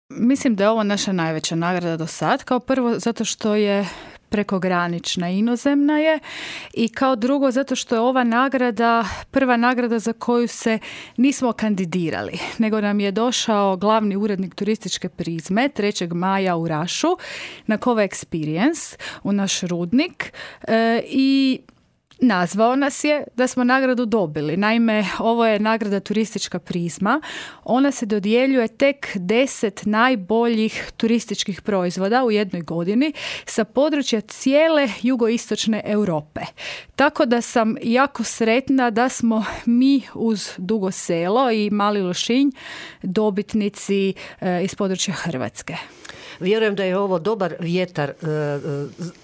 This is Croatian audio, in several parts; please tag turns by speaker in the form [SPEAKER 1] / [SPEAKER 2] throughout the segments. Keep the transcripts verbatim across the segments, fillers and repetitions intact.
[SPEAKER 1] Mislim da je ovo naša najveća nagrada do sad. Kao prvo zato što je prekogranična, inozemna je, i kao drugo zato što je ova nagrada prva nagrada za koju se nismo kandidirali, nego nam je došao glavni urednik turističke Prizme trećeg maja u Rašu na Cova Experience u naš rudnik e, i nazvao nas je da smo nagradu dobili. Naime, ovo je nagrada Turistička Prizma. Ona se dodjeljuje tek deset najboljih turističkih proizvoda u jednoj godini sa područja cijele jugoistočne Europe. Tako da sam jako sretna da smo mi uz Dugo Selo i Mali Lošinj dobitnici e, iz područja Hrvatske.
[SPEAKER 2] Vjerujem da je ovo dobar vjetar uh,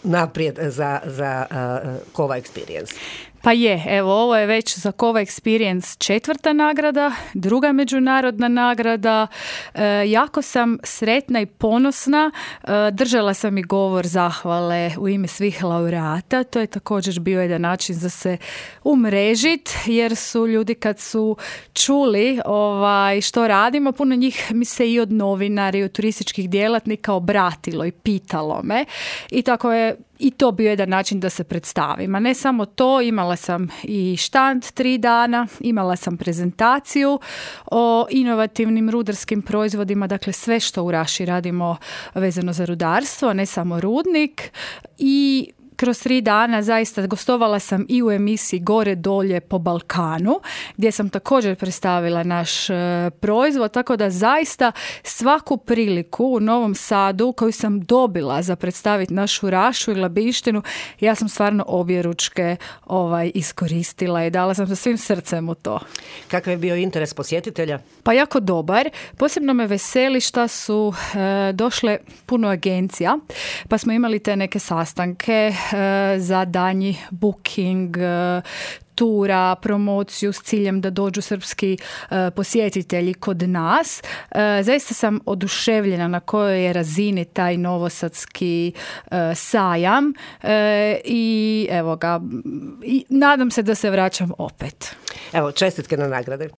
[SPEAKER 2] naprijed za, za uh, Cova Experience.
[SPEAKER 1] Pa je, evo, ovo je već za Cova Experience četvrta nagrada, druga međunarodna nagrada. E, jako sam sretna i ponosna. E, držala sam i govor zahvale u ime svih laureata. To je također bio jedan način za se umrežit, jer su ljudi kad su čuli ovaj, što radimo, puno njih mi se i od novinara i od turističkih djelatnika obratilo i pitalo me. I tako je i to bio jedan način da se predstavim. A ne samo to, imala sam i štand tri dana, imala sam prezentaciju o inovativnim rudarskim proizvodima, dakle sve što u Raši radimo vezano za rudarstvo, ne samo rudnik, i kroz tri dana zaista gostovala sam i u emisiji Gore dolje po Balkanu, gdje sam također predstavila naš e, proizvod, tako da zaista svaku priliku u Novom Sadu koju sam dobila za predstaviti našu Rašu i Labištinu, ja sam stvarno objeručke ovaj, iskoristila i dala sam sa svim srcem u to.
[SPEAKER 2] Kakav je bio interes posjetitelja?
[SPEAKER 1] Pa jako dobar. Posebno me veseli što su e, došle puno agencija, pa smo imali te neke sastanke za danji booking tura, promociju s ciljem da dođu srpski uh, posjetitelji kod nas. Uh, zaista sam oduševljena na kojoj je razini taj novosadski uh, sajam uh, i evo ga, i nadam se da se vraćam opet.
[SPEAKER 2] Evo, čestitke na nagrade.